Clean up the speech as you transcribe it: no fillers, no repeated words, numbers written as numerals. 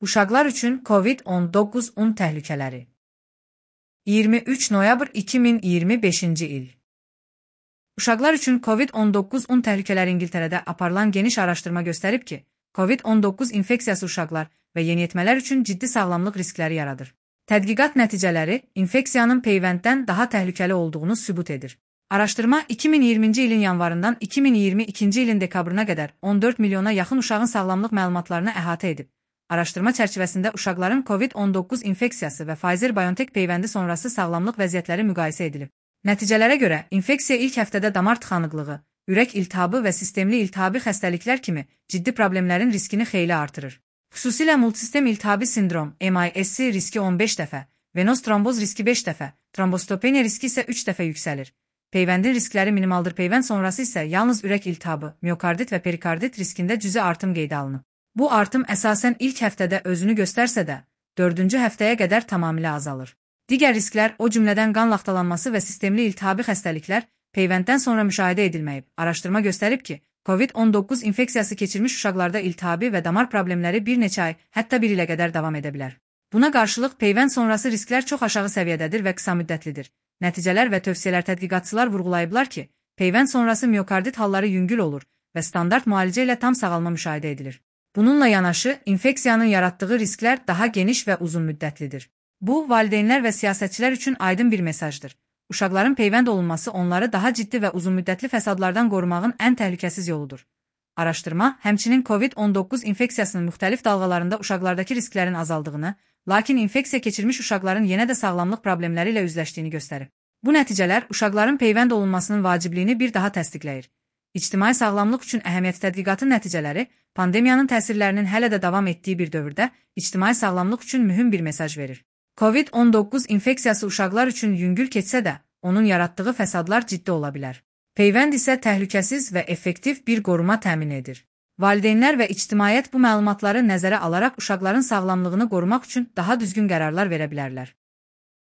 Uşaqlar üçün COVID-19 təhlükələri. 23 noyabr 2025-ci il. Uşaqlar üçün COVID-19 təhlükələri İngiltərədə aparılan geniş araşdırma göstərib ki, COVID-19 infeksiyası uşaqlar və yeniyetmələr üçün ciddi sağlamlıq riskləri yaradır. Tədqiqat nəticələri infeksiyanın peyvənddən daha təhlükəli olduğunu sübut edir. Araşdırma 2020-ci ilin yanvarından 2022-ci ilin dekabrına qədər 14 milyona yaxın uşağın sağlamlıq məlumatlarını əhatə edib. Araşdırma çərçivəsində uşaqların COVID-19 infeksiyası və Pfizer-BioNTech peyvəndi sonrası sağlamlıq vəziyyətləri müqayisə edilib. Nəticələrə görə infeksiya ilk həftədə damar tıxanıqlığı, ürək iltihabı və sistemli iltihabi xəstəliklər kimi ciddi problemlərin riskini xeyli artırır. Xüsusilə multisistem iltihabi sindrom (MIS) riski 15 dəfə, venoz tromboz riski 5 dəfə, trombostopeniya riski isə 3 dəfə yüksəlir. Peyvəndin riskləri minimaldır, peyvənd sonrası isə yalnız ürək iltihabı, miokardit və perikardit riskində cüzi artım qeydə alınıb. Bu artım əsasən ilk həftədə özünü göstərsə də, 4-cü həftəyə qədər tamamilə azalır. Digər risklər, o cümlədən qan laxtalanması və sistemli iltihabi xəstəliklər peyvənddən sonra müşahidə edilməyib. Araşdırma göstərib ki, COVID-19 infeksiyası keçirmiş uşaqlarda iltihabi və damar problemləri bir neçə ay, hətta 1 ilə qədər davam edə bilər. Buna qarşılıq peyvənd sonrası risklər çox aşağı səviyyədədir və qısa müddətlidir. Nəticələr və tövsiyələr tədqiqatçılar vurğulayıblar ki, peyvənd sonrası miokardit halları yüngül olur və standart müalicə ilə tam sağalma müşahidə edilir. Bununla yanaşı, infeksiyanın yaratdığı risklər daha geniş və uzun müddətlidir. Bu, valideynlər və siyasətçilər üçün aydın bir mesajdır. Uşaqların peyvənd olunması onları daha ciddi və uzunmüddətli fəsadlardan qorumağın ən təhlükəsiz yoludur. Araşdırma, həmçinin COVID-19 infeksiyasının müxtəlif dalğalarında uşaqlardakı risklərin azaldığını, lakin infeksiya keçirmiş uşaqların yenə də sağlamlıq problemləri ilə üzləşdiyini göstərib. Bu nəticələr uşaqların peyvənd olunmasının vacibliyini bir daha təsdiqləyir. İctimai sağlamlıq üçün əhəmiyyətli tədqiqatın nəticələri, pandemiyanın təsirlərinin hələ də davam etdiyi bir dövrdə ictimai sağlamlıq üçün mühüm bir mesaj verir. COVID-19 infeksiyası uşaqlar üçün yüngül keçsə də, onun yaratdığı fəsadlar ciddi ola bilər. Peyvənd isə təhlükəsiz və effektiv bir qoruma təmin edir. Valideynlər və ictimaiyyət bu məlumatları nəzərə alaraq uşaqların sağlamlığını qorumaq üçün daha düzgün qərarlar verə bilərlər.